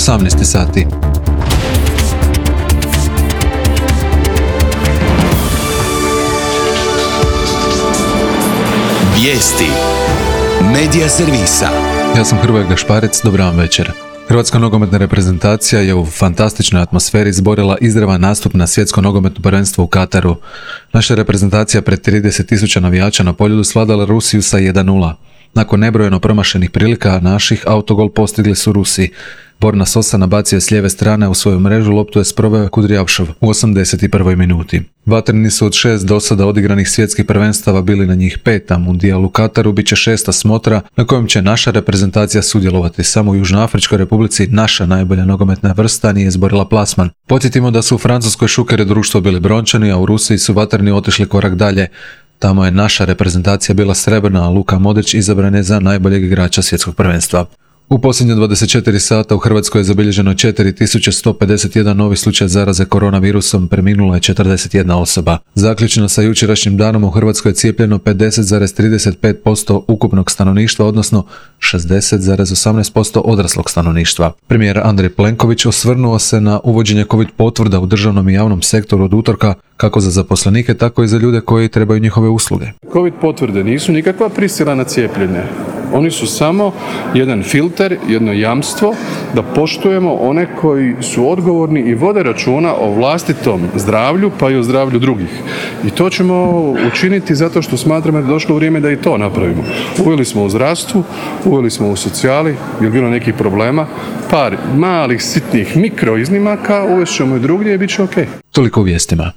18 sati. Vijesti Medija servisa. Ja sam Hrvoje Gašparec, dobar vam večer. Hrvatska nogometna reprezentacija je u fantastičnoj atmosferi izborila izravan nastup na svjetsko nogometno prvenstvo u Kataru. Naša reprezentacija pred 30.000 navijača na Poljudu svladala Rusiju sa 1:0. Nakon nebrojeno promašenih prilika naših, autogol postigli su Rusi. Borna Sosa nabacio je s lijeve strane u svoju mrežu, loptu je sproveo Kudrjavšov u 81. minuti. Vatreni su od 6 do sada odigranih svjetskih prvenstava bili na njih 5, a Mundijal u Kataru bit će 6. smotra na kojem će naša reprezentacija sudjelovati. Samo u Južnoafričkoj Republici naša najbolja nogometna vrsta nije izborila plasman. Podsjetimo da su u Francuskoj Šuker i društvo bili brončani, a u Rusiji su vatreni otišli korak dalje. Tamo je naša reprezentacija bila srebrna, a Luka Modrić izabran je za najboljeg igrača svjetskog prvenstva. U posljednje 24 sata u Hrvatskoj je zabilježeno 4151 novi slučaj zaraze koronavirusom, preminula je 41 osoba. Zaključno sa jučerašnjim danom u Hrvatskoj je cijepljeno 50,35% ukupnog stanovništva, odnosno 60,18% odraslog stanovništva. Premijer Andrej Plenković osvrnuo se na uvođenje COVID potvrda u državnom i javnom sektoru od utorka, kako za zaposlenike, tako i za ljude koji trebaju njihove usluge. COVID potvrde nisu nikakva prisila na cijepljenje. Oni su samo jedan filter, jedno jamstvo da poštujemo one koji su odgovorni i vode računa o vlastitom zdravlju, pa i o zdravlju drugih. I to ćemo učiniti zato što smatramo da je došlo vrijeme da i to napravimo. Uveli smo u zdravstvu, uveli smo u socijali, je bilo nekih problema, par malih, sitnih mikro iznimaka, uvest ćemo i drugdje i bit će ok. Toliko u vijestima.